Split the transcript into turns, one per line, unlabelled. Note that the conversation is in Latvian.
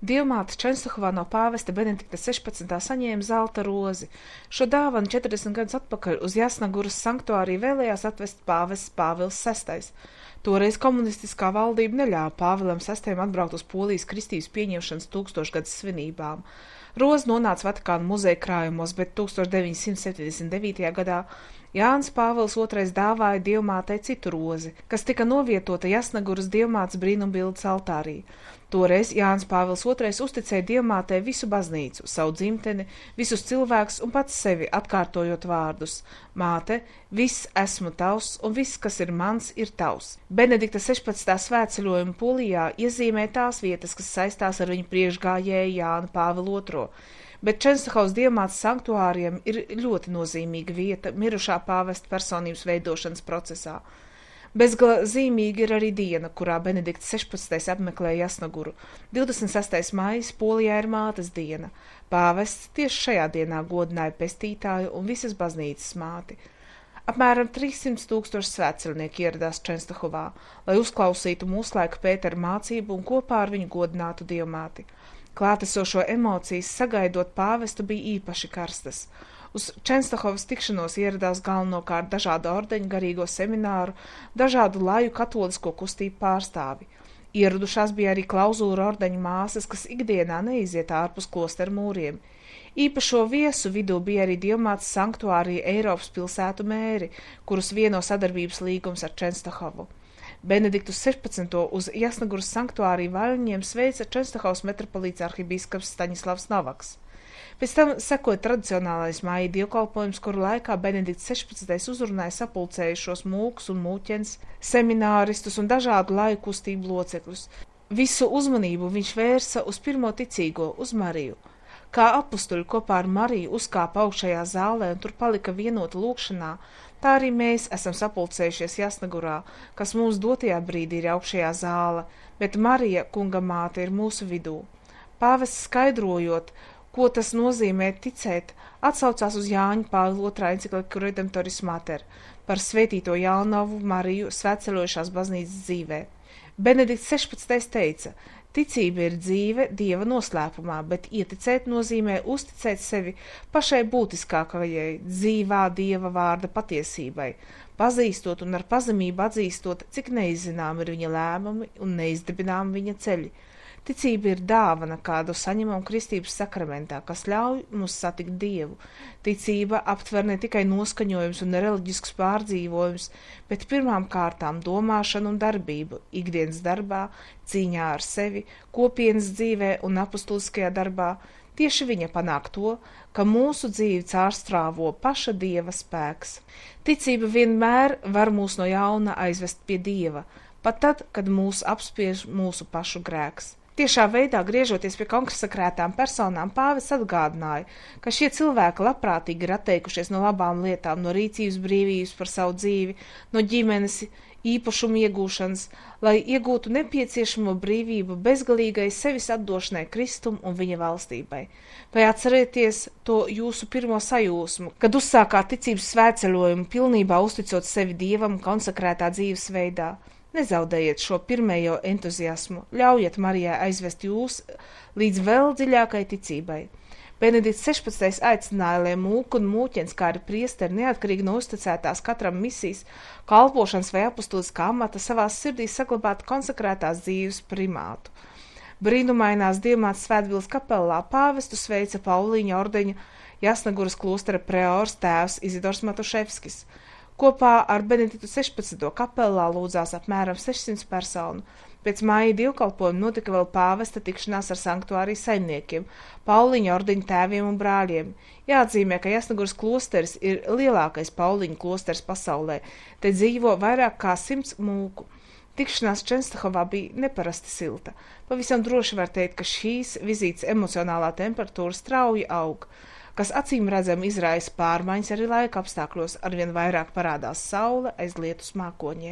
Dievmāte Čenstohovā no pāvesta Benedikta 16. saņēma zelta rozi. Šo dāvanu 40 gadus atpakaļ uz Jasnaguras sanktuāriju vēlējās atvest pāvests Pāvils VI. Toreiz komunistiskā valdība neļāva Pāvilam VI atbraukt uz Polijas kristības pieņemšanas 1000-gads svinībām. Roze nonāca Vatikāna muzeja krājumos, bet 1979. gadā Jānis Pāvils II dāvāja Dievmātei citu rozi, kas tika novietota Jasnaguras Dievmātes brīnumbildes altārī. Toreiz Jānis Pāvils II uzticēja Dievmātei visu baznīcu, savu dzimteni, visus cilvēkus un pats sevi, atkārtojot vārdus: Māte, viss esmu tavs un viss, kas ir mans, ir tavs. Benedikta 16. svētceļojuma Polijā iezīmē tās vietas, kas saistās ar viņu priekšgājēju Jānu Pāvilu II. Bet Čenstohovas Dievmātes sanktuāriem ir ļoti nozīmīga vieta mirušā pāvesta personības veidošanas procesā. Bezgala zīmīga ir arī diena, kurā Benedikts 16. apmeklēja Jasnaguru. 26. maijs Polijā ir mātes diena. Pāvests tieši šajā dienā godināja pestītāju un visas baznīcas māti. Apmēram 300 000 svētceļnieku ieradās Čenstohovā, lai uzklausītu mūslaika Pētera mācību un kopā ar viņu godinātu Dievmāti. Klātesošo emocijas sagaidot pāvestu bija īpaši karstas. Uz Čenstohovas tikšanos ieradās galvenokārt dažādu ordeņu, garīgo semināru, dažādu laju katolisko kustību pārstāvi. Ieradušās bija arī klauzūra ordeņu māsas, kas ikdienā neiziet ārpus klosteru mūriem. Īpašo viesu vidū bija arī Dievmātes sanktuārija Eiropas pilsētu mēri, kurus vieno sadarbības līgums ar Čenstohovu. Benediktu 16. uz Jasnaguras sanktuāriju vaļņiem sveica Čenstohovas metropolīts arhibīskaps Staņislavs Novaks. Pēc tam sekoja tradicionālais māja dievkalpojums, kuru laikā Benedikts 16. uzrunāja sapulcējušos mūkus un mūķens, semināristus un dažādu laju kustību locekļus. Visu uzmanību viņš vērsa uz pirmo ticīgo, uz Mariju. Kā apustuļi kopā ar Mariju uzkāpa augšējā zālē un tur palika vienota lūkšanā, tā arī mēs esam sapulcējušies Jasnagurā, kas mums dotajā brīdī ir augšējā zāle, bet Marija, kunga māte, ir mūsu vidū. Pāvests skaidrojot, ko tas nozīmē ticēt, atsaucās uz Jāņa Pāvila II encikliku Redemptoris Mater par svētīto Jānovu Mariju svētceļojušās baznīcas dzīvē. Benedikts 16. teica: ticība ir dzīve Dieva noslēpumā, bet ieticēt nozīmē uzticēt sevi pašai būtiskākajai, dzīvā Dieva vārda patiesībai, pazīstot un ar pazemību atzīstot, cik neizzinām ir viņa lēmumi un neizdibinām viņa ceļi. Ticība ir dāvana, kādu saņemam kristības sakramentā, kas ļauj mums satikt Dievu. Ticība aptver ne tikai noskaņojums un reliģisks pārdzīvojums, bet pirmām kārtām domāšanu un darbību, ikdienas darbā, cīņā ar sevi, kopienas dzīvē un apustuliskajā darbā. Tieši viņa panāk to, ka mūsu dzīvi cārstrāvo paša Dieva spēks. Ticība vienmēr var mūs no jauna aizvest pie Dieva, pat tad, kad mūs apspiež mūsu pašu grēks. Tiešā veidā, griežoties pie konsekrētām personām, pāvests atgādināja, ka šie cilvēki labprātīgi ir atteikušies no labām lietām, no rīcības brīvības par savu dzīvi, no ģimenes, īpašumu iegūšanas, lai iegūtu nepieciešamo brīvību bezgalīgai sevis atdošanai Kristum un viņa valstībai. Vai atcerieties to jūsu pirmo sajūsmu, kad uzsākāt ticības svētceļojumu, pilnībā uzticot sevi Dievam konsekrētā dzīves veidā? Nezaudējiet šo pirmējo entuziasmu, ļaujiet Marijai aizvest jūs līdz vēl dziļākai ticībai. Benedikts 16. aicināja, lai mūku un mūķens, kā arī priesteri, neatkarīgi no uzticētās katram misijas, kalpošanas vai apustuliskā amata, savās sirdīs saglabātu konsekrētās dzīves primātu. Brīnumainās Dievmātes svētpils kapelā pāvestu sveica Pauliņa ordeņa Jasnaguras klostera preors tēvs Izidors Matuševskis. Kopā ar Benediktu 16. kapelā lūdzās apmēram 600 personu. Pēc māja dievkalpojuma notika vēl pāvesta tikšanās ar sanktuārijas saimniekiem, Pauliņa ordeņa tēviem un brāļiem. Jāatzīmē, ka Jasnaguras klosteris ir lielākais Pauliņa klosters pasaulē. Te dzīvo vairāk kā 100 mūku. Tikšanās Čenstohovā bija neparasti silta. Pavisam droši var teikt, ka šīs vizītes emocionālā temperatūra strauji aug, kas acīm redzami izraisa pārmaiņas arī laika apstākļos, arvien vairāk parādās saule aiz lietus mākoņiem.